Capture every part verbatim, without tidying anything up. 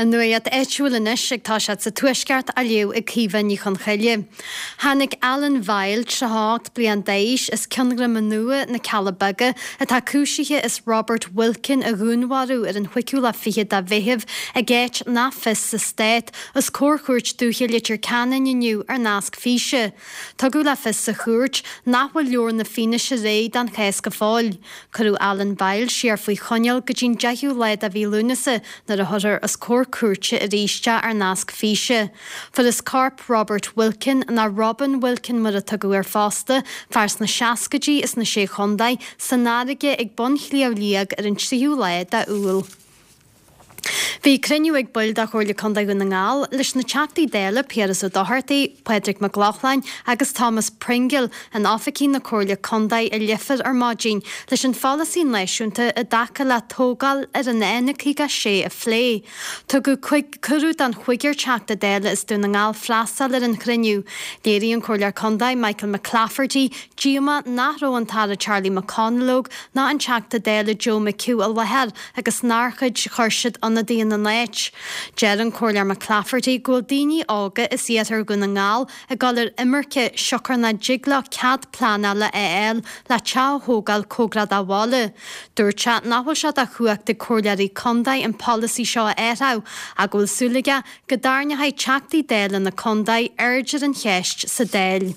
An nuacht áitiúil anois ag toiseacht sa Tuaisceart á léamh ag Caoimhe Ní Chonchoille. Tháinig Alan Vile tríocha ocht bliain d'aois as Cionn Dhroma Nua, na Cealla Beaga, atá cúisithe as Robert Wilkin a dhúnmharú ar an chúigiú lá fichead de Mheitheamh ag áit nach fios sa stát, os comhair Chúirt Dúiche Leitir Ceanainn inniu ar nasc físe. Tugadh le fios sa chúirt nach bhfuil leabhar na fianaise réidh don chás go fóill. Cuireadh Alan Vile siar faoi choinneáil go dtí'n deichiú lá de mhí Lúnasa nuair a thabharfar os comhair cúirte arís é ar nasc físe. Fuarthas corp Robert Wilkin ná Robin Wilkin mar a tugadh air fosta, fear sna seascaidí as na Sé Chontae, san fharraige ag bun Shliabh Liag ar an tríú lá d'Iúil. Bhí cruinniú ag baill de Chomhairle Contae Dhún na nGall leis na Teachtaí Dála Piaras Ó Dochartaigh, Pádraig Mac Lochlainn agus Thomas Pringle in oifigí na Comhairle Contae i Leifear ar maidin leis an pholasaí náisiúnta i dtaca le tógáil ar an N caoga sé a phlé. Tugadh cuireadh don chúigear Teachta Dála as Dún na nGall freastal ar an chruinniú. Léirigh an Comhairleoir Contae Michael McClafferty díomá nach raibh an tAire Charlie McConalogue ná an Teachta Dála Joe McHugh i láthair agus nár chuir siad ionadaí ina n-áit. Deir an Comhairleoir McClafferty go bhfuil daoine óga as iarthar Dhún na nGall ag dul ar imirce siocair nach dtig leo cead pleanála a fháil le teach a thógáil cóngarach dá bhaile. Dúirt sé nach bhfuil sé de chumhacht ag comhairleoirí contae an polasaí seo a athrú ach go bhfuil súil aige go dtarraingeoidh Teachtaí Dála na contae aird ar an cheist sa Dáil.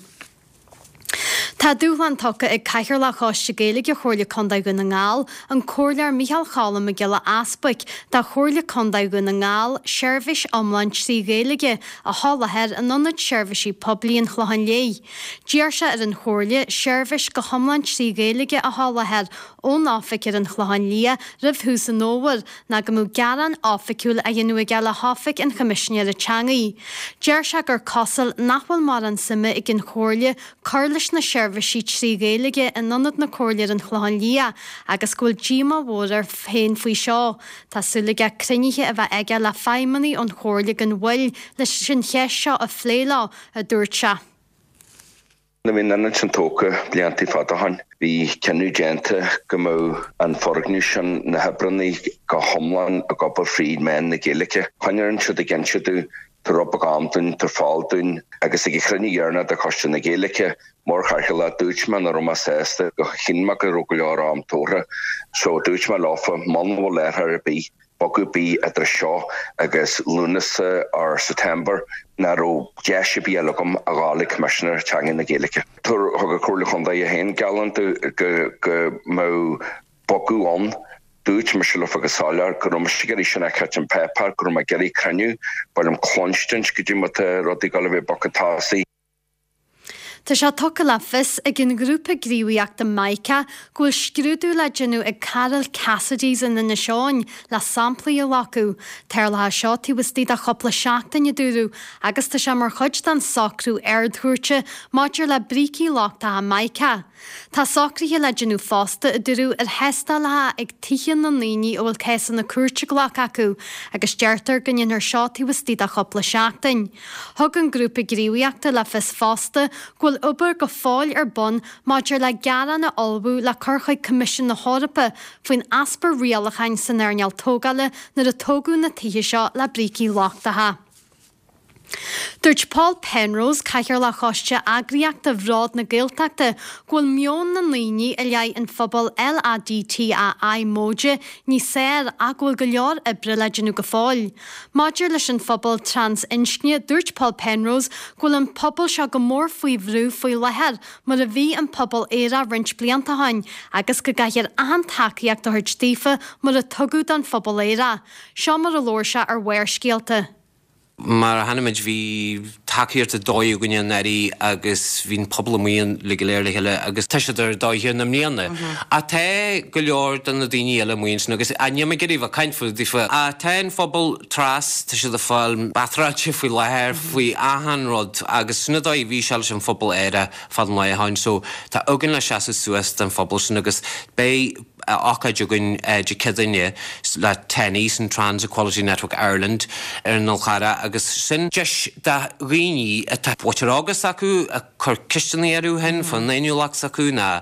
Tá dúshlán tugtha ag Cathaoirleach Choiste Gaeilge Chomhairle Contae Dhún na nGall, an Comhairleoir Micheál Cholm Mac Giolla Easbuic, do Chomhairle Contae Dhún na nGall seirbhís iomlán trí Ghaeilge a sholáthar in Ionad Seirbhísí Poiblí an Chlocháin Léith. D'iarr sé ar an Chomhairle seirbhís go hiomlán trí Ghaeilge a sholáthar ón oifig ar an Chlochán Liath roimh thús an fhómhair ná go mbeadh gearán oifigiúil á dhéanamh aige le hOifig an Choimisinéara Teanga. Deir sé gur cosúil nach bhfuil mórán suime ag an Chomhairle cur leis na seirbhísí trí Ghaeilge in ionad na Comhairle ar an Chlochán Liath agus go bhfuil díomá mhór air féin faoi seo. Tá súil aige cruinnithe a bheith aige le feidhmeannaigh ón Chomhairle gan mhoill leis an cheist seo a phlé leo, a dúirt sé. Nuair a bhí an ionad sin tógtha blianta fada ó shin, bhí cinneadh déanta go mbeadh an foirgneamh sin na hoibreanna go hiomlán ag obair fríd mheán na Gaeilge. Choinnigh siad ag inse dúinn tabhair rud beag am dúinn, tabhair fáil dúinn agus ag an chruinniú dheireanach de Choiste na Gaeilge mar chathaoirleach dúirt mé nach raibh mé sásta go chinn mé go raibh go leor am tabhartha. So dúirt mé leofa muna bhfuil athrú ar bith bogadh ar bith idir seo agus Lúnasa or September nach raibh deis ar bith eile agam a ghabháil ag Coimisinéir Teanga na Gaeilge. Thug an Chomhairle Chontae féin geallúint go go mbeadh bogadh ann dúirt mise leofa go soiléir go raibh mise ag iarraidh sin a fheiceáil ar pháipéar go raibh mé ag iarraidh cruinniú ba liom cluinstin go dtí má tá rudaí ag dul a bheith bogtha tosaigh. Tá sé tugtha le fios ag an ghrúpa gníomhaíochta Mica go bhfuil scrúdú le déanamh ag Carol Cassidy's in Inis Eoghain le samplaí a ghlacadh. Tarlaithe seo taobh istigh de chúpla seachtain a dúradh agus tá sé mar chuid den socrú Ard-Chúirte maidir le brící lochtacha Mica. Tá socruithe le déanamh fosta a dúradh ar thástálacha ag tithe na ndaoine a bhfuil cásanna cúirte glactha acu agus deirtear go ndéanfar seo taobh istigh de chúpla seachtain. Thug an grúpa gníomhaíochta le fios fosta go bhfuil obair go fóill ar bun maidir le gearán a ullmhú le cur chuig Coimisiún na hEorpa faoin easpa rialacháin san earnáil tógála nuair a tógadh na tithe seo le brící lochtacha. Dúirt Paul Penrose Cathaoirleach Choiste Eagraíochta Bhród na Gaeltachta go bhfuil meon na ndaoine i leith an phobal LADTAI móide níos fearr ach go bhfuil go leor oibre le déanamh go fóill. Maidir leis an phobal trasinscne, dúirt Paul Penrose go bhfuil an pobal seo go mór faoi bhrú faoi láthair mar a bhí an pobal aerach roinnt blianta ó shin agus go gcaithfear achan tacaíocht a thabhairt daofa mar a tugadh don phobal aerach. Seo mar a labhair sé ar Bharrscéalta. Mar a chonaic muid bhí tacaíocht dóigh againne anuraidh agus bhí an pobal amuigh le go léir le chéile agus tá siad ar dóigh na mbliana. Ach tá go leor de na daoine eile amuigh ansin agus níl mé ag iarraidh bheith caint faoi daofa. Ach tá an phobal tras tá siad ag fáil batráilte faoi láthair faoi achan rud agus sin an dóigh bhí sé leis an phobal aerach fad an lae ann so tá againn le seasamh suas don phobal sin agus beidh ócáid againn Dé Céadaoine le TENI sin Trans Equality Network Ireland ar an Fhál Carrach agus sin deis do dhaoine atá buaitear agus acu a chur ceisteanna orthu féin faoin fhéiniúlacht s'acu ná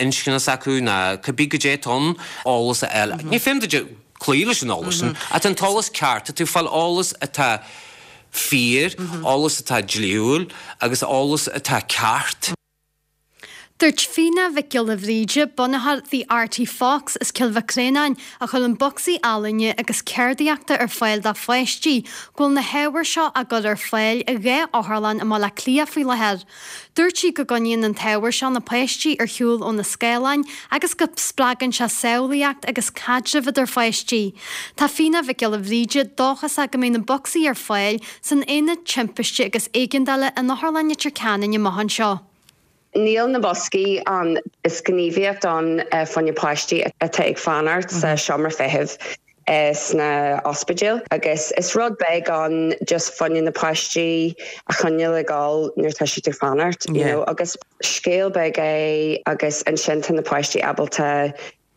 inscne s'acu ná cibé goidé atá ann eolas a fháil. Ní féidir cloí leis an eolas sin, ach an t-eolas ceart, tá tú ag fáil eolas atá fíor, eolas atá dlíthiúil agus eolas atá ceart. Dúirt Fíona Mhic Giolla Bhríde, bunaitheoir The Arty Fox as Cill Mhic Réanáin, a chuireann bocsaí ealaíne agus ceardaíochta ar fáil do pháistí, go bhfuil na hábhair seo á gcur ar fáil i dhá otharlann i mBaile Átha Cliath faoi láthair. Dúirt sí go gcoinníonn an t-ábhar seo na páistí ar shiúl ó na scáileáin agus go spreagann sé samhlaíocht agus caidreamh idir pháistí. Tá Fíona Mhic Giolla Bhríde dóchasach go mbeidh na bocsaí ar fáil san Aonad Timpiste agus Éigeandála in Otharlann Leitir Ceanainn amach anseo. Níl na boscaí ann is gníomhaíocht ann fá choinne páistí atá ag fanacht sa seomra feithimh sna ospidéil agus is rud beag ann just fá choinne na páistí a choinneáil ag gabháil nuair atá siad ag fanacht you know agus scéal beag é agus ansin tá na páistí ábalta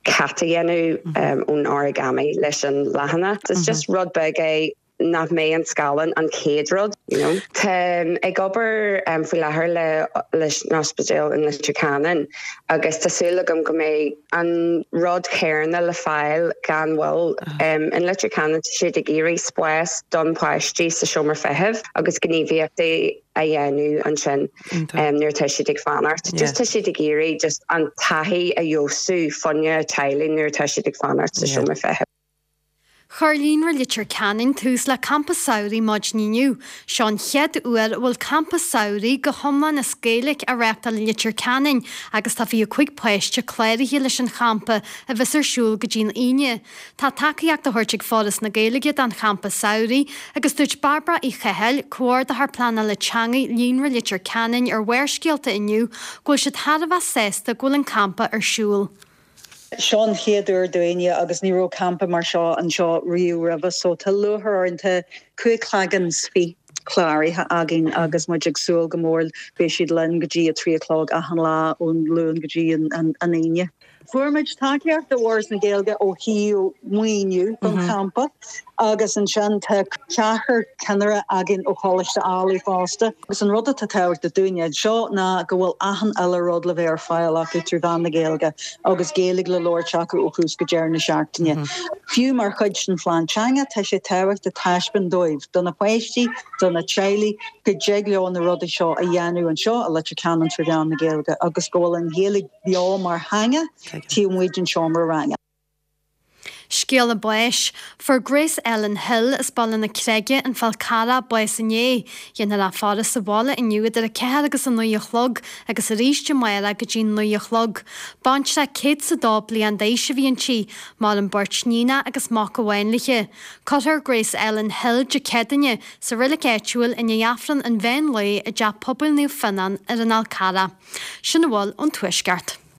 cat a dhéanamh ón origami leis an leathanach. It's just rud beag é nach mbeidh an scáileán an chéad rud you know. Táim ag obair um, faoi láthair le leis an ospidéal in Leitir Ceanainn agus tá súil agam go mbeidh an rud céanna le fáil gan mhoill um, in Leitir Ceanainn siad ag iarraidh spás don páistí sa seomra feithimh agus gníomhaíochtaí a dhéanamh ansin um, nuair tá siad ag fanacht. Just tá siad ag iarraidh just an taithí a fheabhsú fá choinne teaghlaigh nuair tá siad ag fanacht sa seomra feithimh. Chuir Líonra Leitir Ceanainn tús le campa samhraidh maidin inniu. Seo an chéad uair a bhfuil campa samhraidh go hiomlán as Gaeilge á reáchtáil i Leitir Ceanainn agus tá fiche cúig páiste cláraithe leis an champa a bheas ar siúl go dtí'n Aoine. Tá tacaíocht á thabhairt ag Foras na Gaeilge don champa samhraidh agus dúirt Barbara Uí Chathail, comhordaitheoir pleanála teanga Líonra Leitir Ceanainn ar Bharrscéalta inniu go bhfuil siad thar a bheith sásta go bhfuil an campa ar siúl. Seo an chéad uair dúinne agus ní raibh campa mar seo anseo riamh roimhe so tá lúcháir orainn tá cúig cloigeann is fiche cláraithe againn agus muid ag súil go mór beidh siad linn go dtí a trí a chlog achan lá ón Luan go dtí an an Aoine. Fuair muid tacaíocht ó Fhoras na Gaeilge ó thaobh maoiniú don champa agus ansin tá ceathrar ceannaire againn ó Choláiste Ailigh fosta. Agus an rud atá tábhachtach dúinne seo ná go bhfuil achan uile rud le bheith ar fáil acu trí mheán na Gaeilge agus Gaeilge le labhairt acu ó thús go deireadh na seachtaine. Fiú mar chuid den phlean teanga tá sé tábhachtach taispeáint dóibh do na páistí, do na teaghlaigh go dtig leo na rudaí seo a dhéanamh anseo i Leitir Ceanainn trí mheán na Gaeilge agus go bhfuil an Ghaeilge beo mar theanga taobh amuigh den seomra ranga. Scéala báis, Fuair Grace Ellen Hill as Baile na Creige an Fál Carrach bás inné, Déanfar í a fhaire sa bhaile inniu idir a ceathair agus a naoi a chlog agus arís amárach go dtí naoi a chlog. Baintreach céad is a dó bliain d'aois a bhí inti, maireann beirt níonacha agus mac amháin léi. Cuirfear Grace Ellen Hill Dé Céadaoine sa reilig áitiúil i ndiaidh Aifreann an mheán lae i dTeach Pobail Naomh Fionnán ar an Fhál Carrach. Sin a bhfuil ón Tuaisceart.